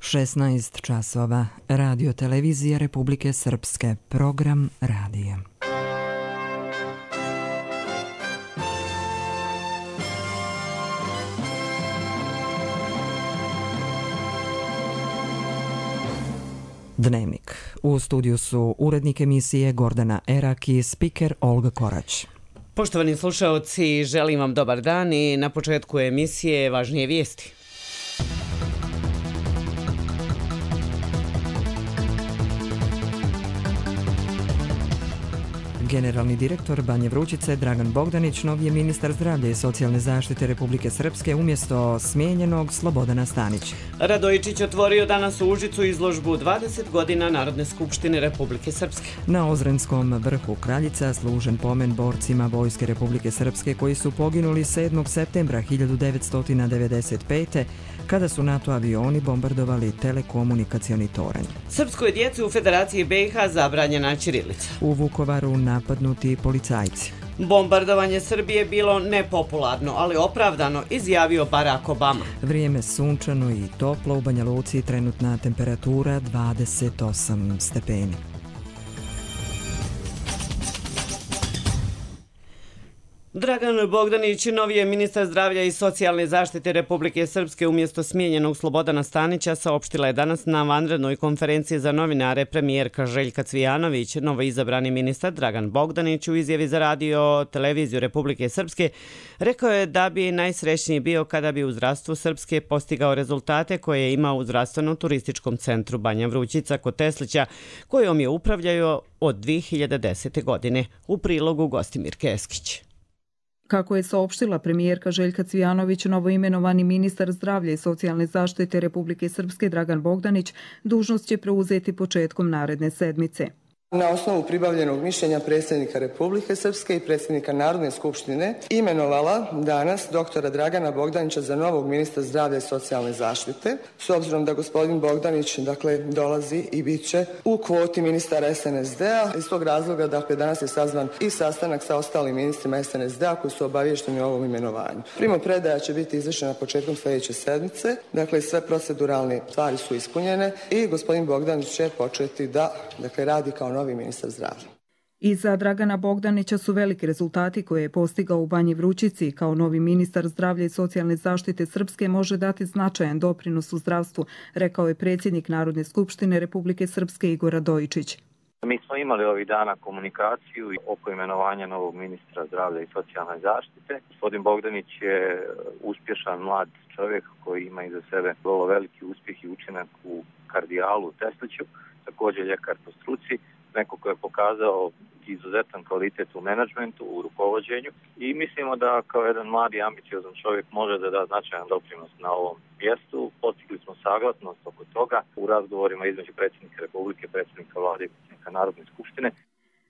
16 časova. Radio televizija Republike Srpske. Program radija. Dnevnik. U studiju su urednik emisije Gordana Erak i spiker Olga Korać. Poštovani slušaoci, želim vam dobar dan i na početku emisije važnije vijesti. Generalni direktor Banje Vrućice Dragan Bogdanić nov je ministar zdravlja i socijalne zaštite Republike Srpske umjesto smijenjenog Slobodana Stanića. Radojičić otvorio danas u Užicu izložbu 20 godina Narodne skupštine Republike Srpske. Na Ozrenskom vrhu Kraljica služen pomen borcima Vojske Republike Srpske koji su poginuli 7. septembra 1995. kada su NATO avioni bombardovali telekomunikacioni toranj. Srpskoj djeci u Federaciji BiH zabranjena ćirilica. U Vukovaru napadnuti policajci. Bombardovanje Srbije bilo nepopularno, ali opravdano, izjavio Barack Obama. Vrijeme sunčano i toplo, u Banja Luci trenutna temperatura 28 stepeni. Dragan Bogdanić, novi je ministar zdravlja i socijalne zaštite Republike Srpske umjesto smijenjenog Slobodana Stanića, saopštila je danas na vanrednoj konferenciji za novinare premijerka Željka Cvijanović. Novoizabrani ministar Dragan Bogdanić u izjavi za radio televiziju Republike Srpske rekao je da bi najsrećniji bio kada bi u zdravstvu Srpske postigao rezultate koje je imao u zdravstveno-turističkom centru Banja Vrućica kod Teslića, kojom je upravljao od 2010. godine. U prilogu Gostimir Keskić. Kako je saopštila premijerka Željka Cvijanović, novoimenovani ministar zdravlja i socijalne zaštite Republike Srpske Dragan Bogdanić dužnost će preuzeti početkom naredne sedmice. Na osnovu pribavljenog mišljenja predsjednika Republike Srpske i predsjednika Narodne skupštine imenovala danas doktora Dragana Bogdanića za novog ministra zdravlja i socijalne zaštite. S obzirom da gospodin Bogdanić dolazi i bit će u kvoti ministara SNSD-a, iz tog razloga danas je sazvan i sastanak sa ostalim ministrima SNSD-a koji su obavješteni o ovom imenovanju. Primopredaja će biti izvršena početkom sljedeće sedmice, sve proceduralne stvari su ispunjene i gospodin Bogdanić će početi da radi kao novi ministar zdravlja. Iza Dragana Bogdanića su veliki rezultati koje je postigao u Banji Vrućici. Kao novi ministar zdravlja i socijalne zaštite Srpske može dati značajan doprinos u zdravstvu, rekao je predsjednik Narodne skupštine Republike Srpske Igor Radojičić. Mi smo imali ovih dana komunikaciju oko imenovanja novog ministra zdravlja i socijalne zaštite. Gospodin Bogdanić je uspješan mlad čovjek koji ima iza sebe vrlo veliki uspjeh i učinak u kardijalu u Tesliću, također ljekar po struci, neko koji je pokazao izuzetan kvalitet u menadžmentu, u rukovođenju i mislimo da kao jedan mladi ambiciozan čovjek može da da značajan doprinos na ovom mjestu. Postigli smo saglasnost oko toga u razgovorima između predsjednika Republike, predsjednika Vlade i predsjednika Narodne skupštine.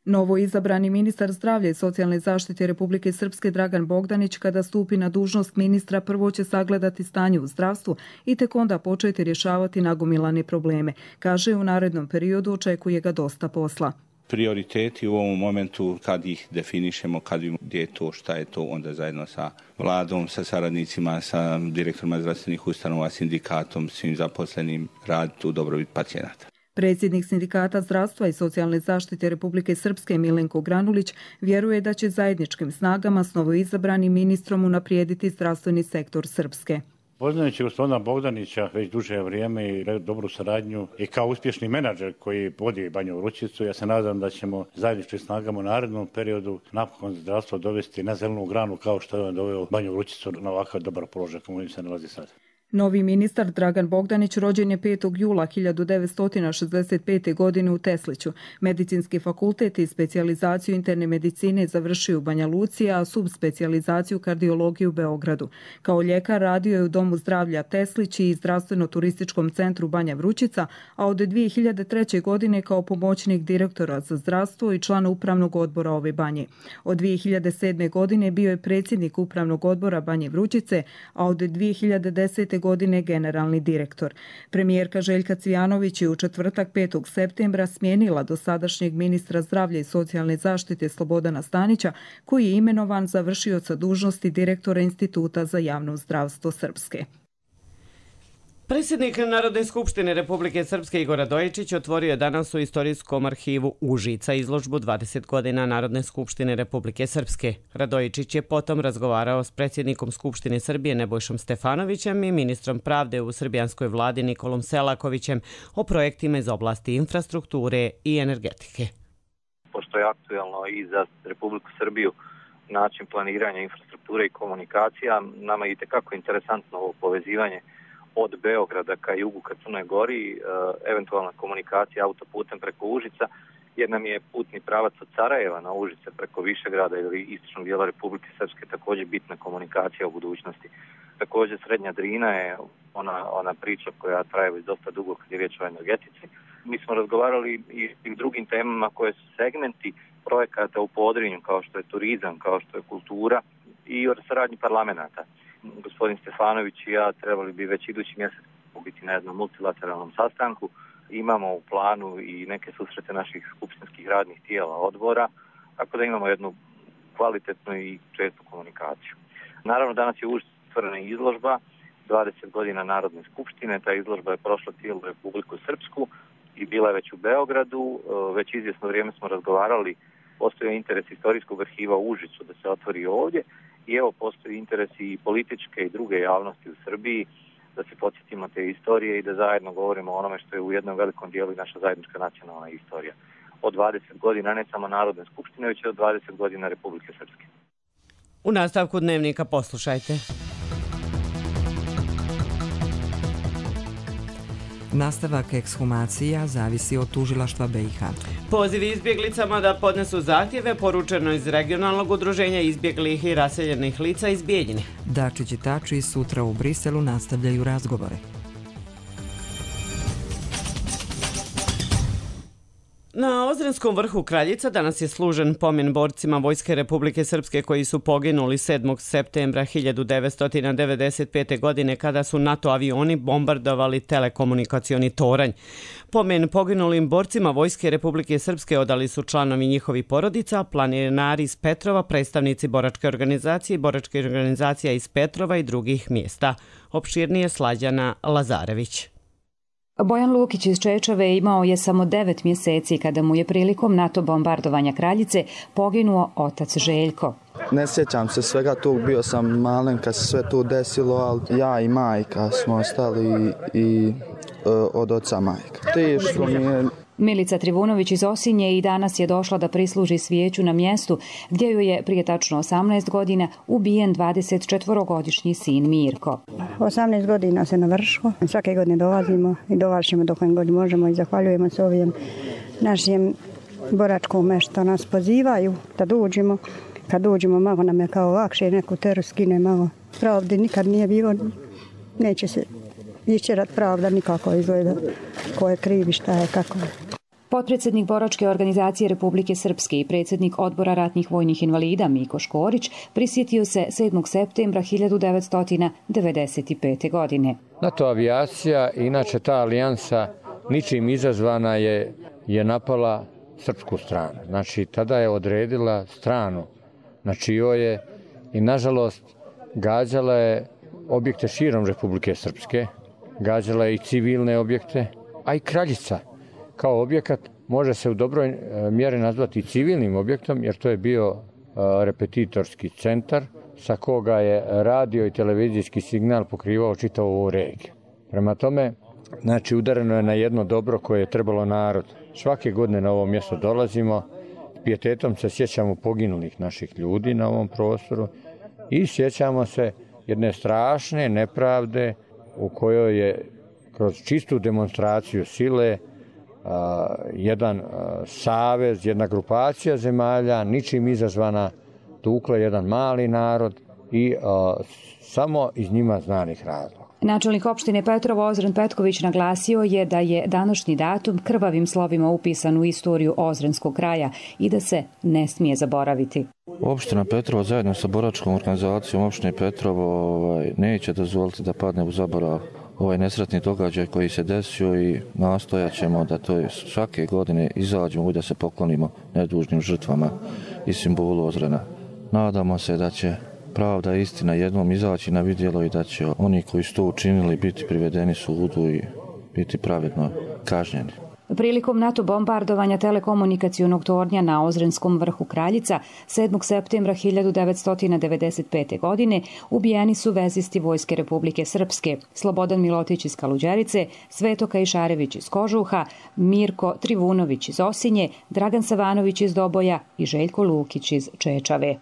Novo izabrani ministar zdravlja i socijalne zaštite Republike Srpske Dragan Bogdanić kada stupi na dužnost ministra prvo će sagledati stanje u zdravstvu i tek onda početi rješavati nagomilane probleme. Kaže, u narednom periodu očekuje ga dosta posla. Prioriteti u ovom momentu kad ih definišemo, kad vidimo gdje je to, šta je to, onda zajedno sa vladom, sa saradnicima, sa direktorima zdravstvenih ustanova, sindikatom, svim zaposlenim raditi u dobrobit pacijenata. Predsjednik Sindikata zdravstva i socijalne zaštite Republike Srpske Milenko Granulić vjeruje da će zajedničkim snagama s novoizabranim ministrom unaprijediti zdravstveni sektor Srpske. Poznajući gospodina Bogdanića već duže vrijeme i dobru saradnju i kao uspješni menadžer koji vodi Banju Vrućicu, ja se nadam da ćemo zajedničkim snagama u narednom periodu napokon zdravstvo dovesti na zelenu granu kao što je on doveo Banju Vrućicu na ovakav dobar položaj kako se nalazi sad. Novi ministar Dragan Bogdanić rođen je 5. jula 1965. godine u Tesliću. Medicinski fakultet i specijalizaciju interne medicine završio u Banja Luci, a subspecijalizaciju kardiologije u Beogradu. Kao ljekar radio je u Domu zdravlja Teslić i zdravstveno-turističkom centru Banja Vrućica, a od 2003. godine kao pomoćnik direktora za zdravstvo i član upravnog odbora ove banje. Od 2007. godine bio je predsjednik upravnog odbora Banje Vrućice, a od 2010. godine generalni direktor. Premijerka Željka Cvijanović je u četvrtak 5. septembra smijenila dosadašnjeg ministra zdravlja i socijalne zaštite Slobodana Stanića, koji je imenovan za vršioca dužnosti direktora Instituta za javno zdravstvo Srpske. Predsjednik Narodne skupštine Republike Srpske Igor Radojičić otvorio je danas u Istorijskom arhivu Užica izložbu 20 godina Narodne skupštine Republike Srpske. Radojičić je potom razgovarao s predsjednikom Skupštine Srbije Nebojšom Stefanovićem i ministrom pravde u srbijanskoj vladi Nikolom Selakovićem o projektima iz oblasti infrastrukture i energetike. Pošto je aktuelno i za Republiku Srbiju način planiranja infrastrukture i komunikacija, nama je itekako interesantno ovo povezivanje od Beograda ka jugu ka Crnoj Gori, eventualna komunikacija autoputem preko Užica, jer nam je putni pravac od Sarajeva na Užice preko Višegrada ili istočnog dijela Republike Srpske također bitna komunikacija u budućnosti. Također Srednja Drina je ona priča koja traje već dosta dugo kad je riječ o energetici. Mi smo razgovarali i drugim temama koje su segmenti projekata u Podrinju, kao što je turizam, kao što je kultura i o saradnji parlamenta. Gospodin Stefanović i ja trebali bi već idući mjesec biti na jednom multilateralnom sastanku. Imamo u planu i neke susrete naših skupštinskih radnih tijela odbora, tako da imamo jednu kvalitetnu i čestu komunikaciju. Naravno, danas je otvorena izložba 20 godina Narodne skupštine. Ta izložba je prošla cijelu Republiku Srpsku i bila je već u Beogradu. Već izvjesno vrijeme smo razgovarali, postoji interes Istorijskog arhiva u Užicu da se otvori ovdje. I evo, postoji interes i političke i druge javnosti u Srbiji da se podsjetimo te istorije i da zajedno govorimo o onome što je u jednom velikom dijelu i naša zajednička nacionalna istorija. Od 20 godina ne samo Narodne skupštine, već od 20 godina Republike Srpske. U nastavku dnevnika poslušajte. Nastavak ekshumacija zavisi od tužilaštva BiH. Pozivi izbjeglicama da podnesu zahtjeve poručeno iz regionalnog udruženja izbjeglih i raseljenih lica iz Bijeljine. Dačić i Tači sutra u Briselu nastavljaju razgovore. Na Ozrenskom vrhu Kraljica danas je služen pomen borcima Vojske Republike Srpske koji su poginuli 7. septembra 1995. godine kada su NATO avioni bombardovali telekomunikacioni toranj. Pomen poginulim borcima Vojske Republike Srpske odali su članovi njihovi porodica, planinari iz Petrova, predstavnici boračke organizacije i boračke organizacija iz Petrova i drugih mjesta. Opširnije Slađana Lazarević. Bojan Lukić iz Čečave imao je samo 9 mjeseci kada mu je prilikom NATO bombardovanja Kraljice poginuo otac Željko. Ne sjećam se svega tu, bio sam malen kad se sve tu desilo, ali ja i majka smo ostali i od oca majka. Teško mi je. Milica Trivunović iz Osinje i danas je došla da prisluži svijeću na mjestu gdje joj je prije tačno 18 godina ubijen 24-godišnji sin Mirko. 18 godina se navršilo. Svake godine dolazimo i dolažemo dok god možemo i zahvaljujemo se ovim našim boračkom što nas pozivaju da dođemo. Kad dođemo malo nam je kao lakše, neku teru skine malo. Pravde nikad nije bilo, neće se išćerat pravda nikako izgleda. Ko je krivi, šta je, kako je. Potpredsjednik boračke organizacije Republike Srpske i predsjednik odbora ratnih vojnih invalida Miko Škorić prisjetio se 7. septembra 1995. godine. NATO avijacija, inače ta alijansa ničim izazvana je napala srpsku stranu. Znači, tada je odredila stranu na čijoj je i nažalost gađala je objekte širom Republike Srpske, gađala je i civilne objekte, a i Kraljica kao objekat može se u dobroj mjeri nazvati civilnim objektom, jer to je bio repetitorski centar sa koga je radio i televizijski signal pokrivao čitavu ovu regiju. Prema tome, znači, udareno je na jedno dobro koje je trebalo narod. Svake godine na ovo mjesto dolazimo, pijetetom se sjećamo poginulih naših ljudi na ovom prostoru i sjećamo se jedne strašne nepravde u kojoj je kroz čistu demonstraciju sile jedan savez, jedna grupacija zemalja, ničim izazvana, tukla jedan mali narod i samo iz njima znanih razloga. Načelnik opštine Petrovo Ozren Petković naglasio je da je današnji datum krvavim slovima upisan u istoriju Ozrenskog kraja i da se ne smije zaboraviti. Opština Petrovo zajedno sa boračkom organizacijom opštine Petrovo neće dozvoliti da padne u zaborav ovaj nesretni događaj koji se desio i nastojat ćemo da to svake godine izađemo i da se poklonimo nedužnim žrtvama i simbolu Ozrena. Nadamo se da će pravda i istina jednom izaći na vidjelo i da će oni koji su to učinili biti privedeni sudu i biti pravedno kažnjeni. Prilikom NATO bombardovanja telekomunikacionog tornja na Ozrenskom vrhu Kraljica 7. septembra 1995. godine ubijeni su vezisti Vojske Republike Srpske, Slobodan Milotić iz Kaluđerice, Sveto Kajšarević iz Kožuha, Mirko Trivunović iz Osinje, Dragan Savanović iz Doboja i Željko Lukić iz Čečave.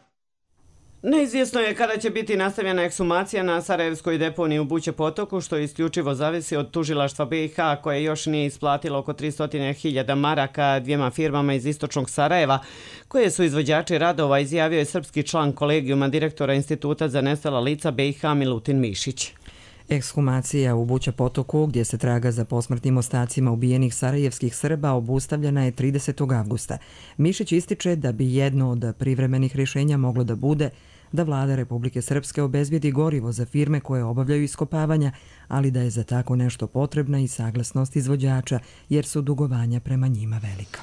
Neizvjesno je kada će biti nastavljena ekshumacija na Sarajevskoj deponiji u Buće potoku, što isključivo zavisi od tužilaštva BiH, koje još nije isplatilo oko 300.000 maraka dvijema firmama iz istočnog Sarajeva, koje su izvođači radova, izjavio je srpski član kolegijuma direktora Instituta za nestala lica BiH Milutin Mišić. Ekshumacija u Buće potoku, gdje se traga za posmrtnim ostacima ubijenih sarajevskih Srba, obustavljena je 30. avgusta. Mišić ističe da bi jedno od privremenih rješenja moglo da bude da vlada Republike Srpske obezbijedi gorivo za firme koje obavljaju iskopavanja, ali da je za tako nešto potrebna i saglasnost izvođača, jer su dugovanja prema njima velika.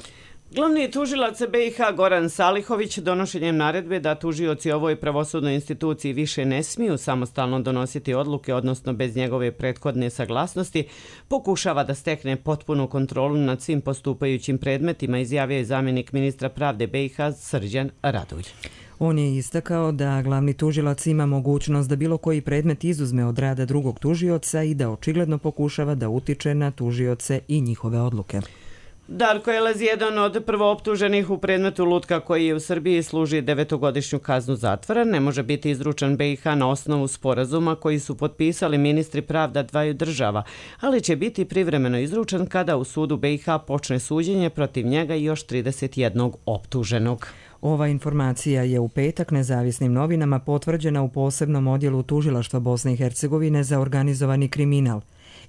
Glavni tužilac BiH Goran Salihović donošenjem naredbe da tužioci ovoj pravosudnoj instituciji više ne smiju samostalno donositi odluke, odnosno bez njegove prethodne saglasnosti, pokušava da stekne potpunu kontrolu nad svim postupajućim predmetima, izjavio je zamjenik ministra pravde BiH Srđan Radulj. On je istakao da glavni tužilac ima mogućnost da bilo koji predmet izuzme od rada drugog tužioca i da očigledno pokušava da utiče na tužioce i njihove odluke. Darko Elez, jedan od prvooptuženih u predmetu Lutka koji je u Srbiji služi 9-godišnju kaznu zatvora, ne može biti izručen BiH na osnovu sporazuma koji su potpisali ministri pravda dvaju država, ali će biti privremeno izručen kada u sudu BiH počne suđenje protiv njega i još 31 optuženog. Ova informacija je u petak nezavisnim novinama potvrđena u posebnom odjelu tužilaštva Bosne i Hercegovine za organizovani kriminal.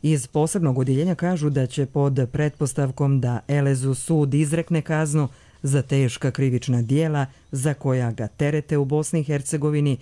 Iz posebnog odjeljenja kažu da će pod pretpostavkom da Elezu sud izrekne kaznu za teška krivična dijela za koja ga terete u Bosni i Hercegovini,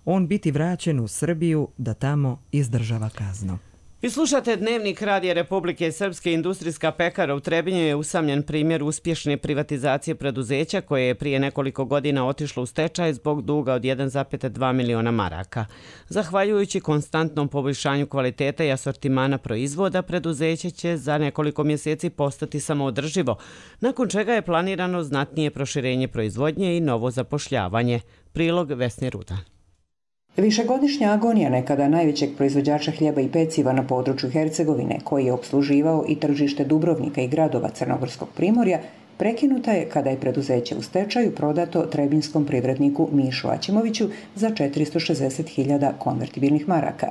on biti vraćen u Srbiju da tamo izdržava kaznu. Vi slušate Dnevnik Radija Republike Srpske. Industrijska pekara u Trebinju je usamljen primjer uspješne privatizacije preduzeća koje je prije nekoliko godina otišlo u stečaj zbog duga od 1,2 miliona maraka. Zahvaljujući konstantnom poboljšanju kvaliteta i asortimana proizvoda, preduzeće će za nekoliko mjeseci postati samoodrživo, nakon čega je planirano znatnije proširenje proizvodnje i novo zapošljavanje. Prilog Vesne Rudan. Višegodišnja agonija nekada najvećeg proizvođača hljeba i peciva na području Hercegovine, koji je opsluživao i tržište Dubrovnika i gradova Crnogorskog primorja, prekinuta je kada je preduzeće u stečaju prodato trebinskom privredniku Mišu Aćimoviću za 460.000 konvertibilnih maraka.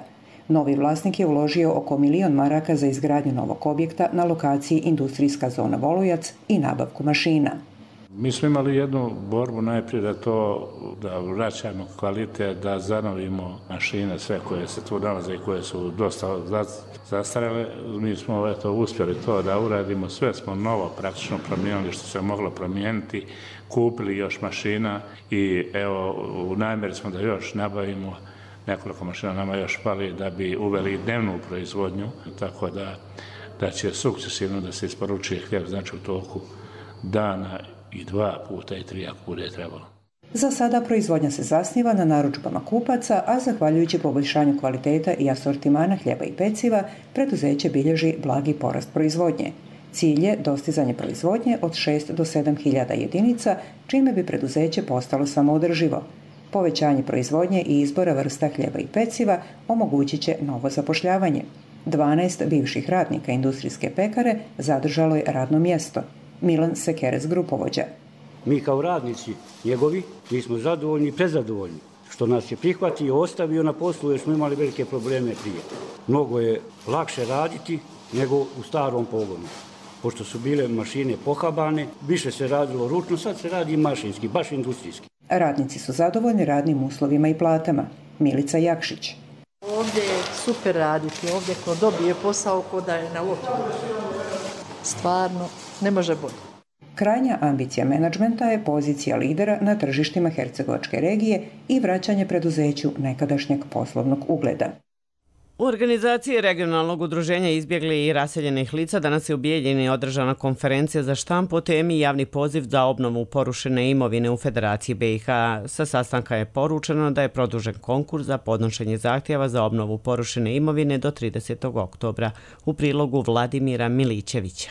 Novi vlasnik je uložio oko 1 milion maraka za izgradnju novog objekta na lokaciji industrijska zona Volujac i nabavku mašina. Mi smo imali jednu borbu najprije da vraćamo kvalitet, da zanovimo mašine, sve koje se tu nalaze i koje su dosta zastarele. Mi smo uspjeli to da uradimo, sve smo novo praktično promijenili što se moglo promijeniti, kupili još mašina i evo u namjeri smo da još nabavimo nekoliko mašina, nama još fali da bi uveli dnevnu proizvodnju, tako da će sukcesivno da se isporučuje hljeb, znači u toku dana i 2 puta i 3 ako bude trebalo. Za sada proizvodnja se zasniva na narudžbama kupaca, a zahvaljujući poboljšanju kvaliteta i asortimana hljeba i peciva, preduzeće bilježi blagi porast proizvodnje. Cilj je dostizanje proizvodnje od 6 do 7.000 jedinica, čime bi preduzeće postalo samoodrživo. Povećanje proizvodnje i izbora vrsta hljeba i peciva omogućit će novo zapošljavanje. 12 bivših radnika industrijske pekare zadržalo je radno mjesto. Milan Sekerec, grupovođa. Mi kao radnici njegovi, mi smo zadovoljni i prezadovoljni što nas je prihvatio i ostavio na poslu jer smo imali velike probleme prije. Mnogo je lakše raditi nego u starom pogonu. Pošto su bile mašine pohabane, više se radilo ručno, sad se radi mašinski, baš industrijski. Radnici su zadovoljni radnim uslovima i platama. Milica Jakšić. Ovdje je super raditi, ovdje ko dobije posao ko da je na lotu. Stvarno, ne može bolje. Krajnja ambicija menadžmenta je pozicija lidera na tržištima Hercegovačke regije i vraćanje preduzeću nekadašnjeg poslovnog ugleda. U organizaciji regionalnog udruženja izbjegli i raseljenih lica danas je u Bijeljini održana konferencija za štampu o temi javni poziv za obnovu porušene imovine u Federaciji BiH. Sa sastanka je poručeno da je produžen konkurs za podnošenje zahtjeva za obnovu porušene imovine do 30. oktobra. U prilogu Vladimira Milićevića.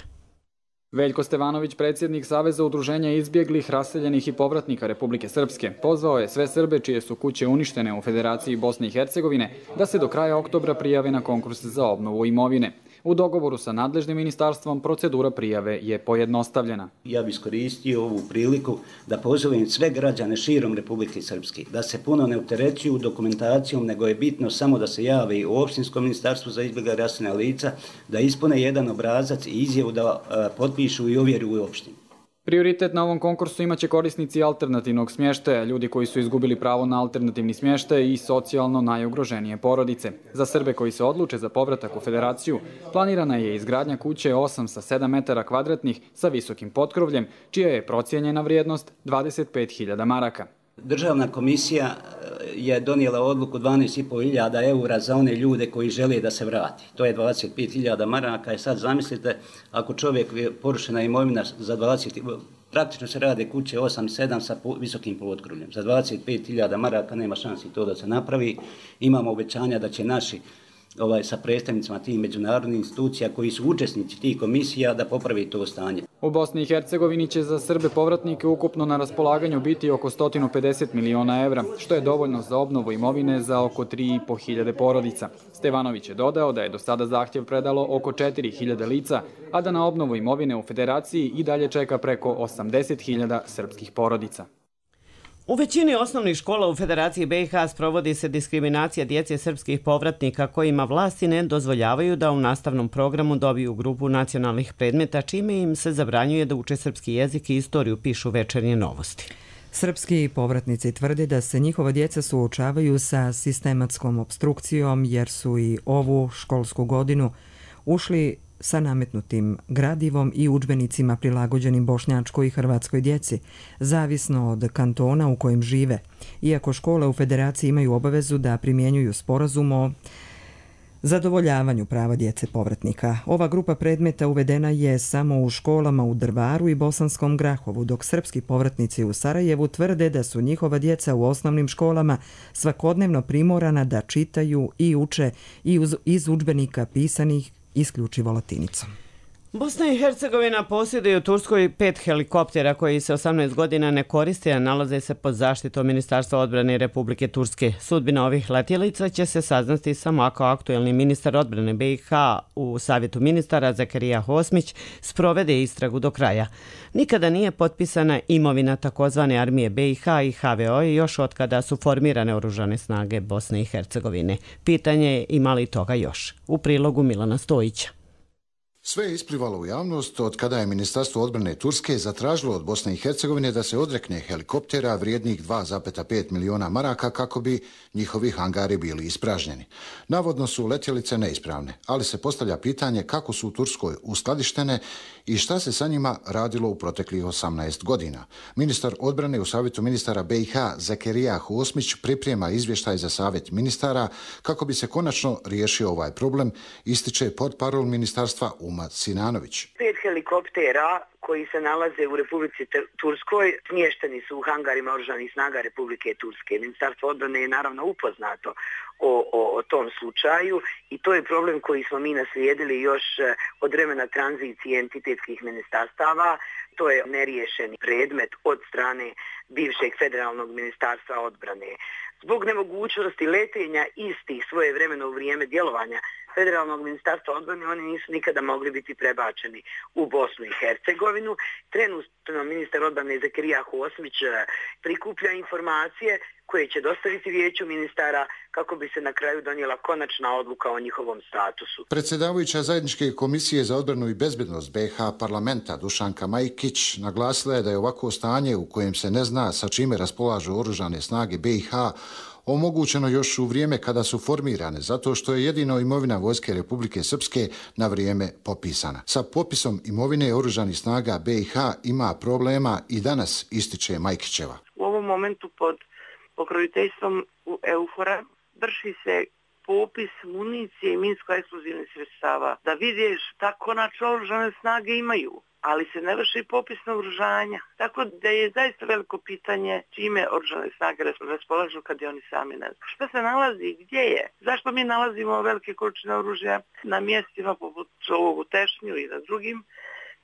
Veljko Stevanović, predsjednik Saveza udruženja izbjeglih, raseljenih i povratnika Republike Srpske, pozvao je sve Srbe čije su kuće uništene u Federaciji Bosne i Hercegovine da se do kraja oktobra prijave na konkurs za obnovu imovine. U dogovoru sa nadležnim ministarstvom procedura prijave je pojednostavljena. Ja bih iskoristio ovu priliku da pozovem sve građane širom Republike Srpske da se puno ne opterećuju dokumentacijom, nego je bitno samo da se jave u opštinskom ministarstvu za izbjegla raseljena lica, da ispune jedan obrazac i izjavu da potpišu i ovjeru u opštini. Prioritet na ovom konkursu imaće korisnici alternativnog smještaja, ljudi koji su izgubili pravo na alternativni smještaj i socijalno najugroženije porodice. Za Srbe koji se odluče za povratak u Federaciju, planirana je izgradnja kuće 8 sa 7 metara kvadratnih sa visokim potkrovljem, čija je procijenjena vrijednost 25.000 maraka. Državna komisija je donijela odluku 12.500 eura za one ljude koji žele da se vrati. To je 25.000 maraka. Sad zamislite, ako čovjek porušena imovina za 20, praktično se rade kuće 8 i 7 sa visokim potkrovljem. Za 25.000 maraka nema šansi to da se napravi. Imamo obećanja da će naši sa predstavnicima tih međunarodnih institucija koji su učesnici tih komisija da popravi to stanje. U Bosni i Hercegovini će za Srbe povratnike ukupno na raspolaganju biti oko 150 miliona evra, što je dovoljno za obnovu imovine za oko 3.500 porodica. Stevanović je dodao da je do sada zahtjev predalo oko 4.000 lica, a da na obnovu imovine u Federaciji i dalje čeka preko 80.000 srpskih porodica. U većini osnovnih škola u Federaciji BiH sprovodi se diskriminacija djece srpskih povratnika kojima vlasti ne dozvoljavaju da u nastavnom programu dobiju grupu nacionalnih predmeta, čime im se zabranjuje da uče srpski jezik i istoriju, pišu Večernje novosti. Srpski povratnici tvrde da se njihova djeca suočavaju sa sistematskom opstrukcijom jer su i ovu školsku godinu ušli sa nametnutim gradivom i udžbenicima prilagođenim bošnjačkoj i hrvatskoj djeci, zavisno od kantona u kojem žive. Iako škole u Federaciji imaju obavezu da primjenjuju sporazum o zadovoljavanju prava djece povratnika. Ova grupa predmeta uvedena je samo u školama u Drvaru i Bosanskom Grahovu, dok srpski povratnici u Sarajevu tvrde da su njihova djeca u osnovnim školama svakodnevno primorana da čitaju i uče iz udžbenika pisanih isključivo latinicom. Bosna i Hercegovina posjeduje u Turskoj 5 helikoptera koji se 18 godina ne koriste, a nalaze se pod zaštitom Ministarstva odbrane Republike Turske. Sudbina ovih letjelica će se saznati samo ako aktuelni ministar odbrane BiH u Savjetu ministara Zakarija Hosmić sprovede istragu do kraja. Nikada nije potpisana imovina takozvane armije BiH i HVO još od kada su formirane oružane snage Bosne i Hercegovine. Pitanje je ima li toga još. U prilogu Milana Stojića. Sve je isplivalo u javnost od kada je Ministarstvo odbrane Turske zatražilo od Bosne i Hercegovine da se odrekne helikoptera vrijednih 2,5 miliona maraka kako bi njihovi hangari bili ispražnjeni. Navodno su letjelice neispravne, ali se postavlja pitanje kako su u Turskoj uskladištene i šta se sa njima radilo u proteklih 18 godina. Ministar odbrane u Savjetu ministara BiH Zakarija Hosmić priprema izvještaj za Savjet ministara kako bi se konačno riješio ovaj problem, ističe portparol ministarstva Uma Sinanović. 5 helikoptera koji se nalaze u Republici Turskoj smješteni su u hangarima oružanih snaga Republike Turske. Ministarstvo odbrane je naravno upoznato o tom slučaju i to je problem koji smo mi naslijedili još od vremena tranzicije entitetskih ministarstava. To je neriješeni predmet od strane bivšeg federalnog ministarstva odbrane. Zbog nemogućnosti letenja istih svoje vremena u vrijeme djelovanja federalnog ministarstva odbrane, oni nisu nikada mogli biti prebačeni u Bosnu i Hercegovinu. Trenutno ministar odbrane Zakarija Hosmić prikuplja informacije koje će dostaviti vijeću ministara kako bi se na kraju donijela konačna odluka o njihovom statusu. Predsjedavajuća Zajedničke komisije za odbranu i bezbednost BiH parlamenta Dušanka Majkić naglasila je da je ovako stanje u kojem se ne zna sa čime raspolažu oružane snage BiH omogućeno još u vrijeme kada su formirane, zato što je jedino imovina Vojske Republike Srpske na vrijeme popisana. Sa popisom imovine oružanih snaga BiH ima problema i danas, ističe Majkićeva. U ovom momentu pod pokroviteljstvom EUFOR-a vrši se popis municije i minsko-eksplozivnih sredstava, da vidiš da konačno oružane snage imaju, ali se ne vrši popis naoružanja. Tako da je zaista veliko pitanje čime oružane snage raspolažu kad je oni sami ne znaju. Šta se nalazi i gdje je? Zašto mi nalazimo velike količine oružja na mjestima poput ovog u Tešnju i na drugim?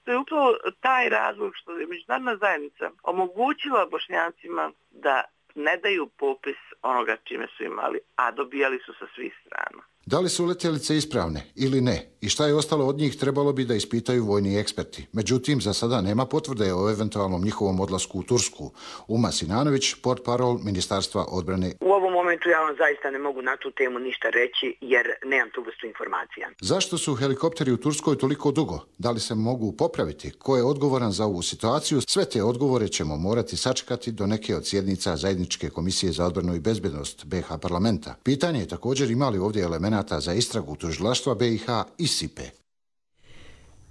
To je upravo taj razlog što je međunarodna zajednica omogućila Bošnjacima da ne daju popis onoga čime su imali, a dobijali su sa svih strana. Da li su letjelice ispravne ili ne i šta je ostalo od njih trebalo bi da ispitaju vojni eksperti. Međutim, za sada nema potvrde o eventualnom njihovom odlasku u Tursku. Uma Sinanović, portparol Ministarstva odbrane. U ovom momentu ja vam zaista ne mogu na tu temu ništa reći jer nemam tu vrstu informacija. Zašto su helikopteri u Turskoj toliko dugo? Da li se mogu popraviti? Ko je odgovoran za ovu situaciju? Sve te odgovore ćemo morati sačekati do neke od sjednica Zajedničke komisije za odbranu i bezbednost BiH parlamenta. Pitanje je također imali ovdje elemenata za istragu tužilaštva BiH i SIPE.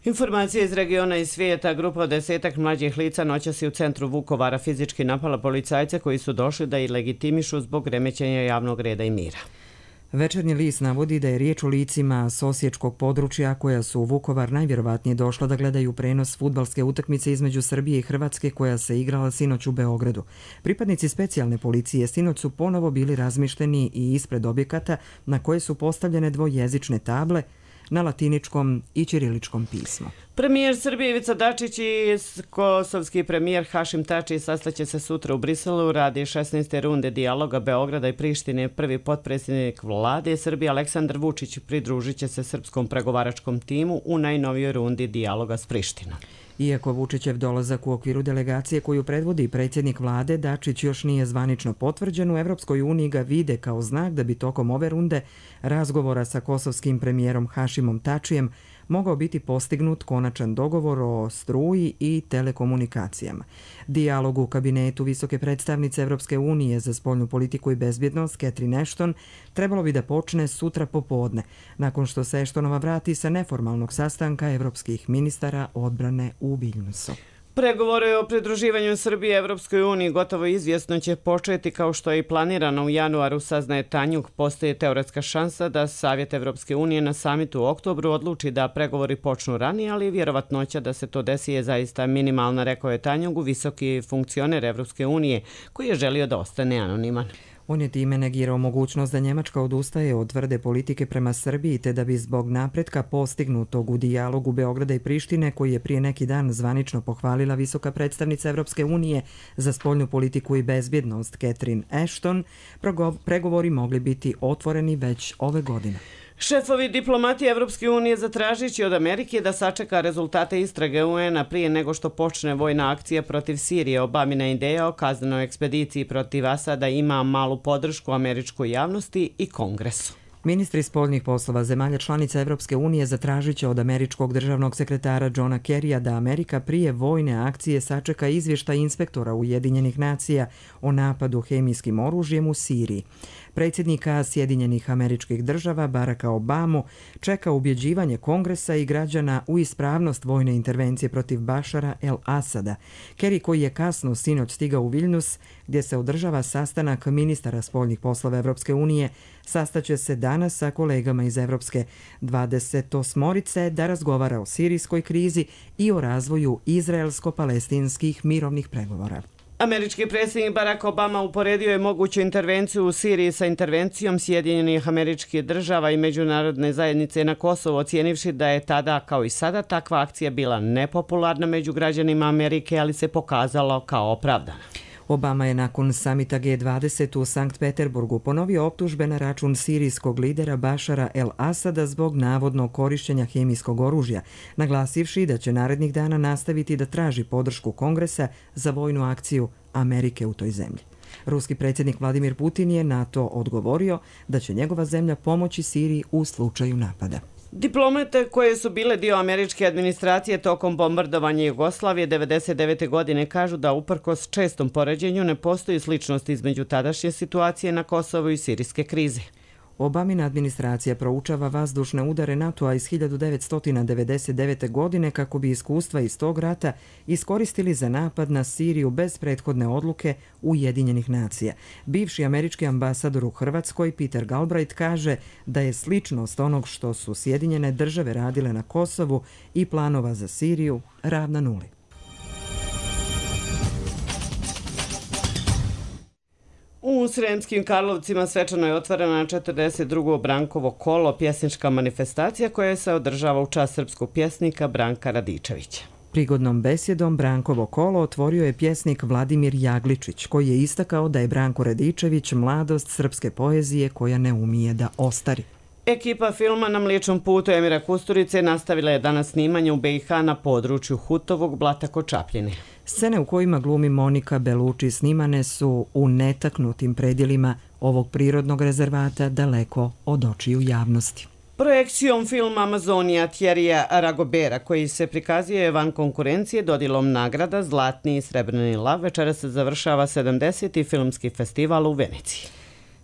Informacije iz regiona i svijeta. Grupa od 10 mlađih lica noćas je u centru Vukovara fizički napala policajce koji su došli da ih legitimišu zbog remećenja javnog reda i mira. Večernji list navodi da je riječ o licima s osječkog područja koja su u Vukovar najvjerovatnije došla da gledaju prenos fudbalske utakmice između Srbije i Hrvatske koja se igrala sinoć u Beogradu. Pripadnici specijalne policije sinoć su ponovo bili razmišteni i ispred objekata na koje su postavljene dvojezične table na latiničkom i ćiriličkom pismu. Premijer Srbije Ivica Dačić i kosovski premijer Hašim Tači sastaće se sutra u Briselu radi 16. runde dijaloga Beograda i Prištine. Prvi potpredsjednik vlade Srbije Aleksandar Vučić pridružit će se srpskom pregovaračkom timu u najnovijoj rundi dijaloga s Prištinom. Iako Vučićev dolazak u okviru delegacije koju predvodi predsjednik vlade, Dačić još nije zvanično potvrđen, u Evropskoj uniji ga vide kao znak da bi tokom ove runde razgovora sa kosovskim premijerom Hašimom Tačijem mogao biti postignut konačan dogovor o struji i telekomunikacijama. Dijalog u kabinetu visoke predstavnice Evropske unije za spoljnu politiku i bezbjednost Catherine Ashton trebalo bi da počne sutra popodne, nakon što se Ashtonova vrati sa neformalnog sastanka evropskih ministara odbrane u Viljnusu. Pregovore o pridruživanju Srbije Evropskoj uniji gotovo izvjesno će početi kao što je i planirano u januaru, saznaje Tanjug. Postoji teoretska šansa da Savjet Evropske unije na samitu u oktobru odluči da pregovori počnu ranije, ali vjerovatnoća da se to desi je zaista minimalna, rekao je Tanjugu, visoki funkcioner Evropske unije koji je želio da ostane anoniman. On je time negirao mogućnost da Njemačka odustaje od tvrde politike prema Srbiji te da bi zbog napretka postignutog u dijalogu Beograda i Prištine, koji je prije neki dan zvanično pohvalila visoka predstavnica Evropske unije za spoljnu politiku i bezbjednost Catherine Ashton, pregovori mogli biti otvoreni već ove godine. Šefovi diplomatije Evropske unije zatražit će od Amerike da sačeka rezultate istrage UN-a prije nego što počne vojna akcija protiv Sirije. Obamina ideja o kaznenoj ekspediciji protiv Asada ima malu podršku američkoj javnosti i Kongresu. Ministri spoljnih poslova zemalja članica Evropske unije zatražit će od američkog državnog sekretara Johna Kerrya da Amerika prije vojne akcije sačeka izvještaj inspektora Ujedinjenih nacija o napadu hemijskim oružjem u Siriji. Predsjednika Sjedinjenih Američkih Država Baracka Obamu čeka ubjeđivanje Kongresa i građana u ispravnost vojne intervencije protiv Bašara el-Asada. Kerry, koji je kasno sinoć stigao u Viljnus, gdje se održava sastanak ministara spoljnih poslova Evropske unije, sastaće se danas sa kolegama iz Evropske 28-orice da razgovara o sirijskoj krizi i o razvoju izraelsko-palestinskih mirovnih pregovora. Američki predsjednik Barack Obama uporedio je moguću intervenciju u Siriji sa intervencijom Sjedinjenih Američkih Država i međunarodne zajednice na Kosovo, ocijenivši da je tada, kao i sada, takva akcija bila nepopularna među građanima Amerike, ali se pokazalo kao opravdana. Obama je nakon samita G20 u Sankt Peterburgu ponovio optužbe na račun sirijskog lidera Bašara el-Asada zbog navodnog korištenja hemijskog oružja, naglasivši da će narednih dana nastaviti da traži podršku Kongresa za vojnu akciju Amerike u toj zemlji. Ruski predsjednik Vladimir Putin je na to odgovorio da će njegova zemlja pomoći Siriji u slučaju napada. Diplomate koje su bile dio američke administracije tokom bombardovanja Jugoslavije 1999. godine kažu da uprkos čestom poređenju ne postoji sličnost između tadašnje situacije na Kosovu i sirijske krize. Obamina administracija proučava vazdušne udare NATO-a iz 1999. godine kako bi iskustva iz tog rata iskoristili za napad na Siriju bez prethodne odluke Ujedinjenih nacija. Bivši američki ambasador u Hrvatskoj Peter Galbraith kaže da je sličnost onog što su Sjedinjene države radile na Kosovu i planova za Siriju ravna nuli. U Sremskim Karlovcima svečano je otvorena 42. Brankovo kolo, pjesnička manifestacija koja se održava u čast srpskog pjesnika Branka Radičevića. Prigodnom besjedom Brankovo kolo otvorio je pjesnik Vladimir Jagličić, koji je istakao da je Branko Radičević mladost srpske poezije koja ne umije da ostari. Ekipa filma Na Mliječnom putu Emira Kusturice nastavila je danas snimanje u BiH na području Hutovog Blata kod Čapljine. Scene u kojima glumi Monika Belucci snimane su u netaknutim predjelima ovog prirodnog rezervata daleko od očiju javnosti. Projekcijom filma Amazonija Thierrya Ragobera, koji se prikazuje van konkurencije dodjelom nagrada Zlatni i Srebrni lav, večeras se završava 70. filmski festival u Veneciji.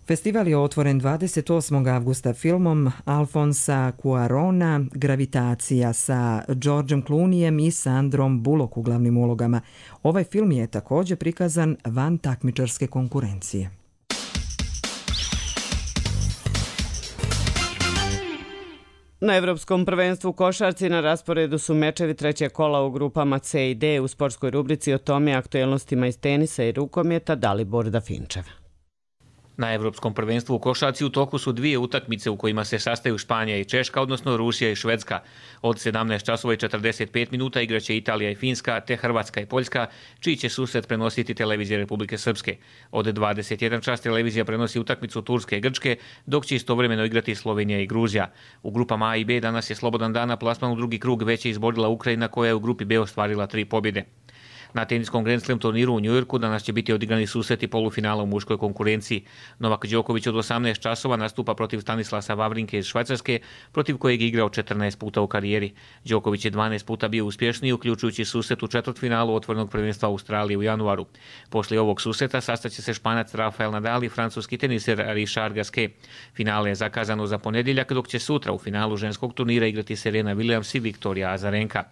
Festival je otvoren 28. avgusta filmom Alfonsa Cuarona Gravitacija sa Georgeom Clooneyem i Sandrom Bullock u glavnim ulogama. Ovaj film je također prikazan van takmičarske konkurencije. Na Evropskom prvenstvu u košarci na rasporedu su mečevi trećeg kola u grupama C i D. U sportskoj rubrici o tome aktuelnostima iz tenisa i rukometa Dalibor Dafinčev. Na Evropskom prvenstvu u košarci u toku su dvije utakmice u kojima se sastaju Španija i Češka, odnosno Rusija i Švedska. Od 17:45 igraće Italija i Finska, te Hrvatska i Poljska, čiji će susret prenositi televizija Republike Srpske. Od 21 čas televizija prenosi utakmicu Turske i Grčke, dok će istovremeno igrati Slovenija i Gruzija. U grupama A i B danas je slobodan dan, a plasman u drugi krug već je izborila Ukrajina, koja je u grupi B ostvarila 3 pobjede. Na teniskom Grand Slam turniru u Njujorku danas će biti odigrani susreti polufinala u muškoj konkurenciji. Novak Đoković od 18 časova nastupa protiv Stanislasa Wawrinke iz Švajcarske, protiv kojeg je igrao 14 puta u karijeri. Đoković je 12 puta bio uspješniji, uključujući susret u četvrtfinalu otvorenog prvenstva Australije u januaru. Poslije ovog susreta sastaće se Španac Rafael Nadal i francuski teniser Richard Gasquet. Finale je zakazano za ponedjeljak, dok će sutra u finalu ženskog turnira igrati Serena Williams i Viktorija Azarenka.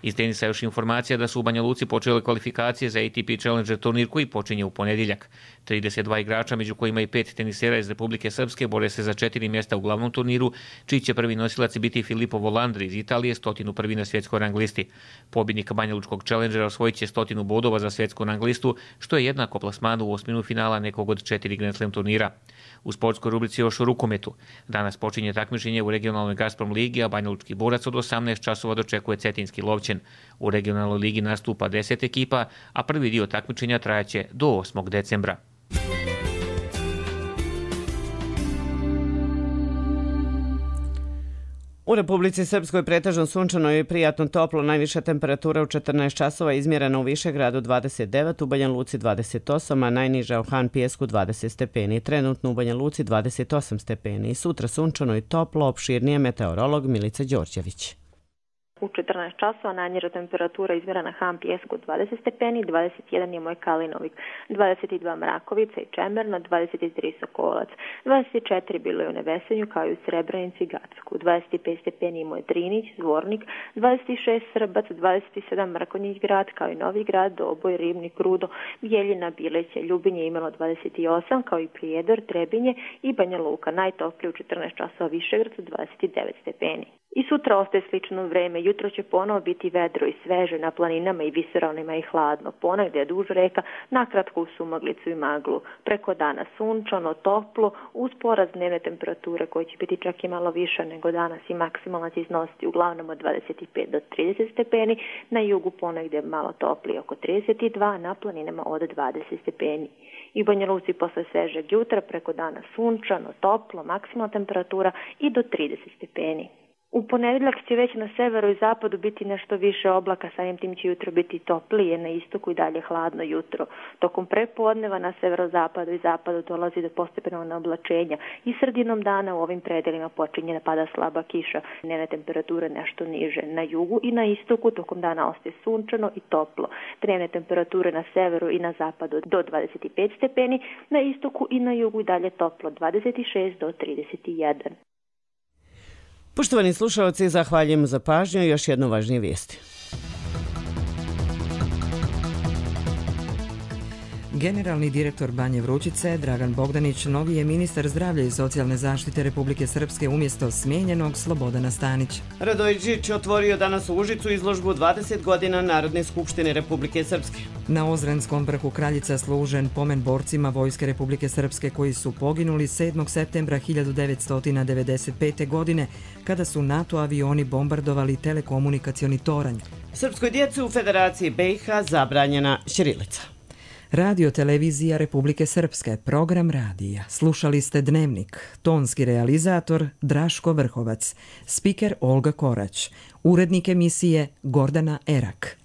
Iz tenisa još informacija da su u Banja Luci počele kvalifikacije za ATP Challenger turnir koji počinje u ponedjeljak. 32 igrača, među kojima i 5 tenisera iz Republike Srpske, bore se za 4 mjesta u glavnom turniru, čiji će prvi nosilac biti Filippo Volandri iz Italije, 101. na svjetskoj rang listi. Pobjednik Banja Lučkog Challengera osvojit će 100 bodova za svjetsku rang listu, što je jednako plasmanu u osminu finala nekog od 4 Grand Slam turnira. U sportskoj rubrici još u rukometu. Danas počinje takmičenje u regionalnoj Gazprom ligi, a Banja Lučki borac od 18 časova dočekuje Cetinski Lovćen. U regionalnoj ligi nastupa 10 ekipa, a prvi dio takmičenja trajaće do 8. decembra. U Republici Srpskoj pretežno sunčano i prijatno toplo, najviša temperatura u 14 časova izmjerena u Višegradu 29, u Banja Luci 28, a najniža u Han Pijesku 20 stepeni. Trenutno u Banja Luci 28 stepeni. Sutra sunčano i toplo, opširnije meteorolog Milica Đorđević. U 14 časova najniža temperatura izmjerena Han Pijesku 20 stepeni, 21 je Moj Kalinovik, 22 Mrakovica i Čemerno, 23 Sokolac, 24 bilo je u Nevesenju kao i u Srebrenici i Gacku, 25 stepeni je Moj Drinić, Zvornik, 26 Srbac, 27 Mrkonjić grad kao i Novi grad, Doboj, Ribnik, Rudo, Bijeljina, Bileće, Ljubinje imalo 28 kao i Prijedor, Trebinje i Banja Luka, najtoplije u 14 časova Višegrad 29 stepeni. I sutra ostaje slično vreme. Jutro će ponovo biti vedro i sveže na planinama i visoravnima i hladno. Ponegdje je duž reka, nakratko u sumaglicu i maglu. Preko dana sunčano, toplo, uz porast dnevne temperature koje će biti čak i malo više nego danas i maksimalna će iznositi uglavnom od 25 do 30 stepeni. Na jugu ponegdje malo toplije oko 32, na planinama od 20 stepeni. I u Banja Luci posle svežeg jutra preko dana sunčano, toplo, maksimalna temperatura i do 30 stepeni. U ponedeljak će već na severu i zapadu biti nešto više oblaka, samim tim će jutro biti toplije, na istoku i dalje hladno jutro. Tokom prepodneva na severozapadu i zapadu dolazi do postepenog oblačenja i sredinom dana u ovim predelima počinje da pada slaba kiša. Dnevne temperature nešto niže. Na jugu i na istoku tokom dana ostaje sunčano i toplo. Dnevne temperature na severu i na zapadu do 25 stepeni, na istoku i na jugu i dalje toplo 26 do 31. Poštovani slušalci, zahvaljujem za pažnju i još jednu važnije vijesti. Generalni direktor Banje Vrućice, Dragan Bogdanić, novi je ministar zdravlja i socijalne zaštite Republike Srpske umjesto smijenjenog Slobodana Stanića. Radojičić otvorio danas u Užicu izložbu 20 godina Narodne skupštine Republike Srpske. Na Ozrenskom vrhu Kraljica služen pomen borcima Vojske Republike Srpske koji su poginuli 7. septembra 1995. godine kada su NATO avioni bombardovali telekomunikacioni toranj. Srpskoj djeci u Federaciji BiH zabranjena ćirilica. Radio televizija Republike Srpske, program radija. Slušali ste Dnevnik, tonski realizator Draško Vrhovac, spiker Olga Korać, urednik emisije Gordana Erak.